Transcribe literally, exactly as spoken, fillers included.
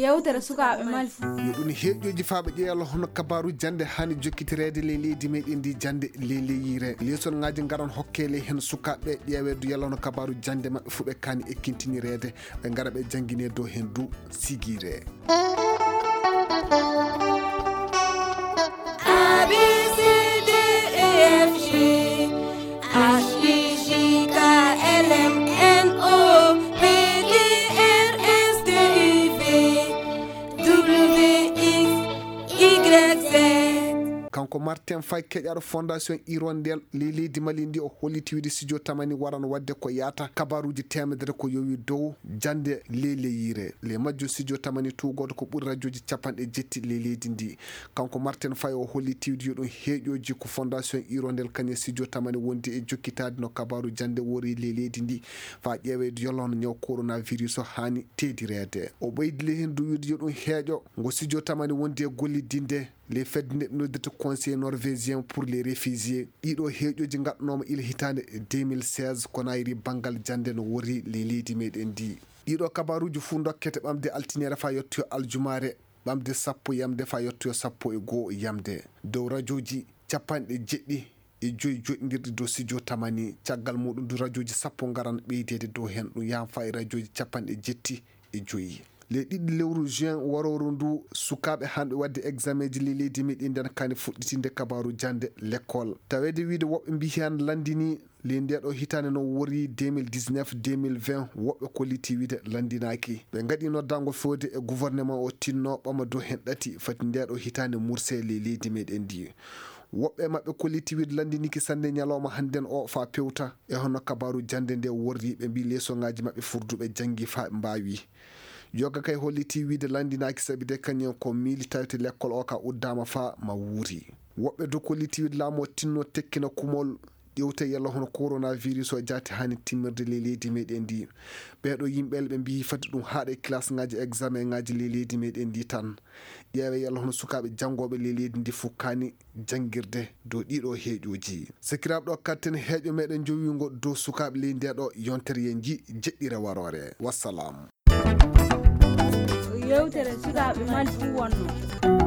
Yewtere sukaaɓe Mali fuu. Yo ɗum heeƴooji faaɓe ƴeewa hono kabaaru jannde haani jokkitireede ley leydi meɗen ndi jannde ley leyire. Leesonŋaaji ngaran hokkele heen sukaaɓe ƴeewe du yalla hono kabaaru jannde maɓɓe fuu ɓe kaani ekkintinireede. Ɓe ngara ɓe janngine dow heen du sigiire. A B C D E F G H I J K L M N O P Q R S T U V W X Y Z. Kanko Martin Faye keƴaaɗo Fondation Hirondelle ley leydi Mali ndi o holliti wiide studio Tamani waran waɗde ko yaata kabaaruuji teemedere ko yowi dow jannde ley leyire. Ley majjo studio Tamani tuugooto ko ɓuri rajooji capanɗe jetti ley leydi ndi. Kanko Martin Faye o holliti wiide yo ɗum heeƴooji ko Fondation Hirondelle kañum studio Tamani wondi e jokkitaade no kabaaru jannde wori ley leydi ndi faa ƴeeweede yalla hono ñaw coronavirus o haani teedireede. O ɓeydi ley heen du wiide yo ɗum heeƴo ngo studio Tamani wondi e gollidinde ley fedde nde ɓe noddirta Conseil norvégien pour les réfugiés. Ɗiɗo heeƴooji ngaɗanooma ila hitaande deux mille seize Conakry banngal jannde no wori ley leydi meɗen ndi. Ɗiɗo kabaaruuji fuu ndokkete ɓamde altiniere faa yottoyo aljumaare, ɓamde sappo yamde faa yottoyo sappo e goo yamde. Dow rajooji capanɗe jeɗɗi e joyi joɗndirɗi dow studio Tamani, caggal muuɗum du rajooji sappo ngaran ɓeydeede dow heen, ɗum yahan faa e rajooji capanɗe jetti e joyi. Ley ɗiɗi lewru juin warooru ndu, sukaaɓe haanɓe waɗde examenji ley leydi meɗen ndi ana kaani fuɗɗitinde kabaaru jannde lekkol. Taweede wiide woɓɓe mbiyi heen lanndini ley ndeeɗo hitaande no wori deux mille dix-neuf, deux mille vingt, woɓɓe kolliti wiide lanndinaaki. Ɓe ngaɗi noddaango feewde e gouvernement o tinno ɓama dow heen ɗati fati ndeeɗo hitaande murse ley leydi meɗen ndi. Woɓɓe maɓɓe kolliti wiide lanndiniki sanne ñalawma hannden o faa pewta e hono kabaaru jannde nde worri. Ɓe mbii leesonŋaaji maɓɓe furduɓe janngi faa ɓe mbaawi. Yoga kay holliti wiide lanndinaaki sabi de kañum ko miili tawte lekkol o ka uddaama faa ma wuuri. Woɓɓe du kolliti wiide laamu o tinno tekkina kumol ƴewte yalla hono coronavirus o jaati haani timmirde ley leydi meɗen ndi. Ɓeeɗo yimɓe ɓe mbii fati ɗum haaɗa e kilasŋaaji examenŋaaji ley leydi meɗen ndi tan. Ƴeewe yalla hono sukaaɓe janngooɓe ley leydi ndi fuu kaani janngirde dow ɗiɗo heeƴooji. Sakiraaɓe ɗo katten heeƴo meɗen jowiingo dow sukaaɓe ley ndeeɗo yontere yen nji jeɗɗire waroore. Wassalam. Yewtere sukaaɓe Mali fuu wonno.